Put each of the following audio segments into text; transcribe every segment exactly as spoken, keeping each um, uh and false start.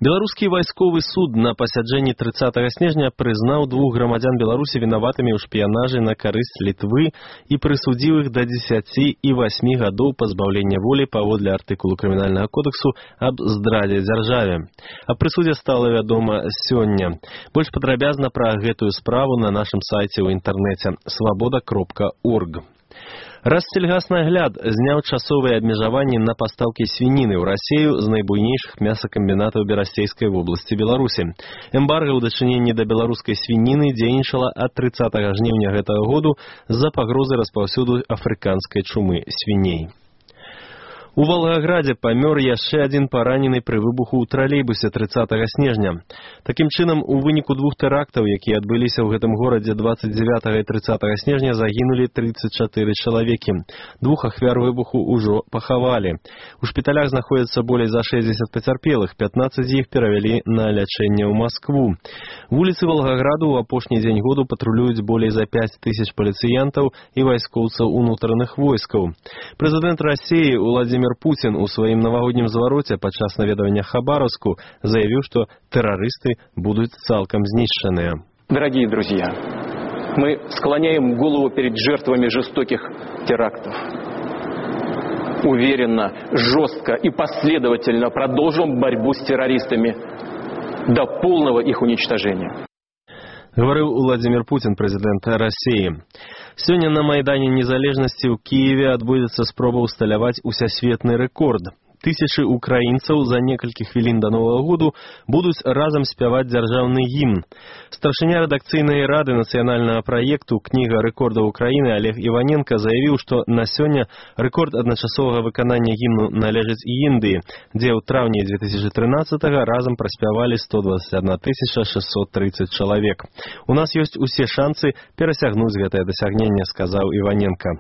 Беларускі вайсковы суд на пасяджэнні трыццатага снежня прызнаў двух грамадзян Беларусі вінаватымі ў шпіянажы на карысць Літвы і прысудзіў іх да дзесяці і васьмі гадоў пазбаўлення волі паводле артыкулу крымінальнага кодексу аб здрадзе дзяржаве. Аб прысудзе стала вядома сёння. Больш падрабязна пра гэтую справу на нашым сайце ў інтэрнэце свабода кропка орг. Рассельгаснагляд зняў часовыя абмежаванні на пастаўкі свініны ў Расею з найбуйнейшых мясакамбінатаў Берасцейскай вобласці Беларусі. Эмбарга ў дачыненні да беларускай свініны дзейнічала ад трыццатага жніўня гэтага году з-за пагрозы распаўсюду афрыканскай чумы свіней. У Волгограде памёр яшчэ адзін паранены пры выбуху ў тралейбусе трыццатага снежня. Такім чынам, у выніку двух тэрактаў, якія адбыліся ў гэтым горадзе дваццаць дзевятага і трыццатага снежня, загінулі трыццаць чатыры чалавекі. Двух ахвяр выбуху ўжо пахавалі. У шпіталях знаходзяцца болей за шэсцьдзесят пацярпелых, пятнаццаць з іх перавялі на лячэнне ў Маскву. Вуліцы Волгограду ў апошні дзень году патрулююць болей за пяць тысяч паліцыянтаў і вайскоўцаў унутраных войскаў. Прэзідэнт Расіі Уладзімір Путин у своим новогоднем звороте падчас наведывания Хабаровску заявил, что террористы будут цалком знищенные. Дорогие друзья, мы склоняем голову перед жертвами жестоких терактов. Уверенно, жестко и последовательно продолжим борьбу с террористами до полного их уничтожения. Говорил Владимир Путин, президент России. Сёння на Майдане Незалежнасці ў Киеве адбудзецца спроба ўсталяваць усесветны рэкорд. Тысячы украінцаў за некалькі хвілін да Новага году будуць разам спяваць дзяржаўны гімн. Старшыня рэдакцыйнай рады нацыянальнага праекту «Кніга рэкордаў Украіны» Олег Іваненко заявіў, што на сёння рэкорд адначасовага выканання гімну належыць Індыі, дзе ў траўні две тысячи тринадцатага разам праспявалі сто двадцать одна тысяча шестьсот тридцать чалавек. У нас ёсць усе шанцы перасягнуць гэтае дасягненне, сказаў Іваненко.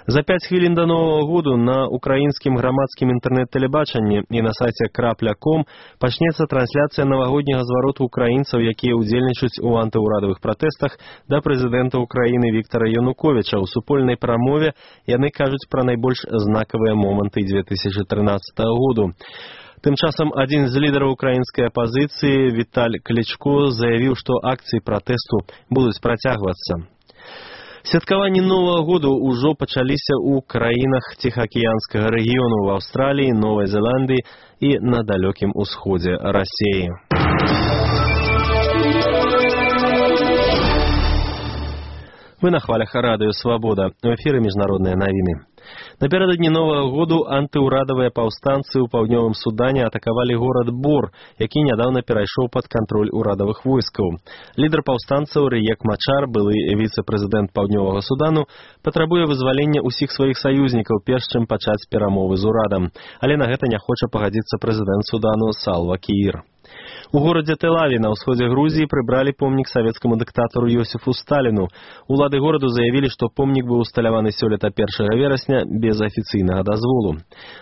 За пяць хвілін да Новага году на украінскім грамадскім інтэрнэт-тэлебачанні і на сайце крапля ком пачнецца трансляцыя навагодняга звароту украінцаў, якія ўдзельнічаюць у антыўрадавых пратэстах да прэзідэнта Украіны Віктара Януковіча. У супольнай прамове яны кажуць пра найбольш знакавыя моманты две тысячи тринадцатага году. Тым часам адзін з лідараў украінскай апазіцыі Віталь Клічко заявіў, што акцыі пратэсту будуць працягвацца. Святкаванні Новага году ўжо пачаліся ў краінах Ціхаакіянскага рэгіёну, в Аўстраліі, Новай Зеландыі і на далёкім усходзе Расіі. Вы на хвалях радыё «Свабода». У эфіры міжнародныя навіны. Напярэдадні Новага году антыўрадавыя паўстанцы ў паўднёвым Судане атакавалі горад Бор, які нядаўна перайшоў пад кантроль урадавых войскаў. Лідар паўстанцаў Рыек Мачар, былы віцэ-прэзідэнт паўднёвага Судану, патрабуе вызвалення ўсіх сваіх саюзнікаў, перш чым пачаць перамовы з урадам. Але на гэта не хоча пагадзіцца прэзідэнт Судану Салва Кіір. У горадзе Тел-Аві на ўсходзе Грузіі прыбралі помнік савецкаму дыктатару Йосіфу Сталіну. Улады гораду заявілі, што помнік быў усталяваны сёлета першага верасня без афіцыйнага дазволу.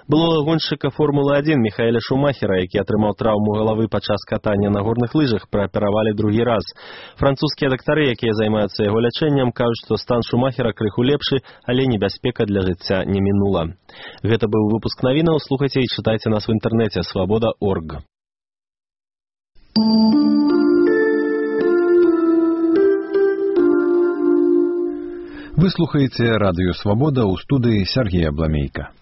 Былога гоншчыка Формулы адзін Міхаэля Шумахера, які атрымаў траўму галавы падчас катання на горных лыжах, прааперавалі другі раз. Французскія дактары, якія займаюцца яго лячэннем, кажуць, што стан Шумахера крыху лепшы, але небяспека для жыцця не мінула. Гэта быў выпуск навінаў. Слухайце і чытайце нас в інтэрнэце свабода точка орг. Вы слухаеце радыё «Свабода» ў студыі Сергея Бламейка.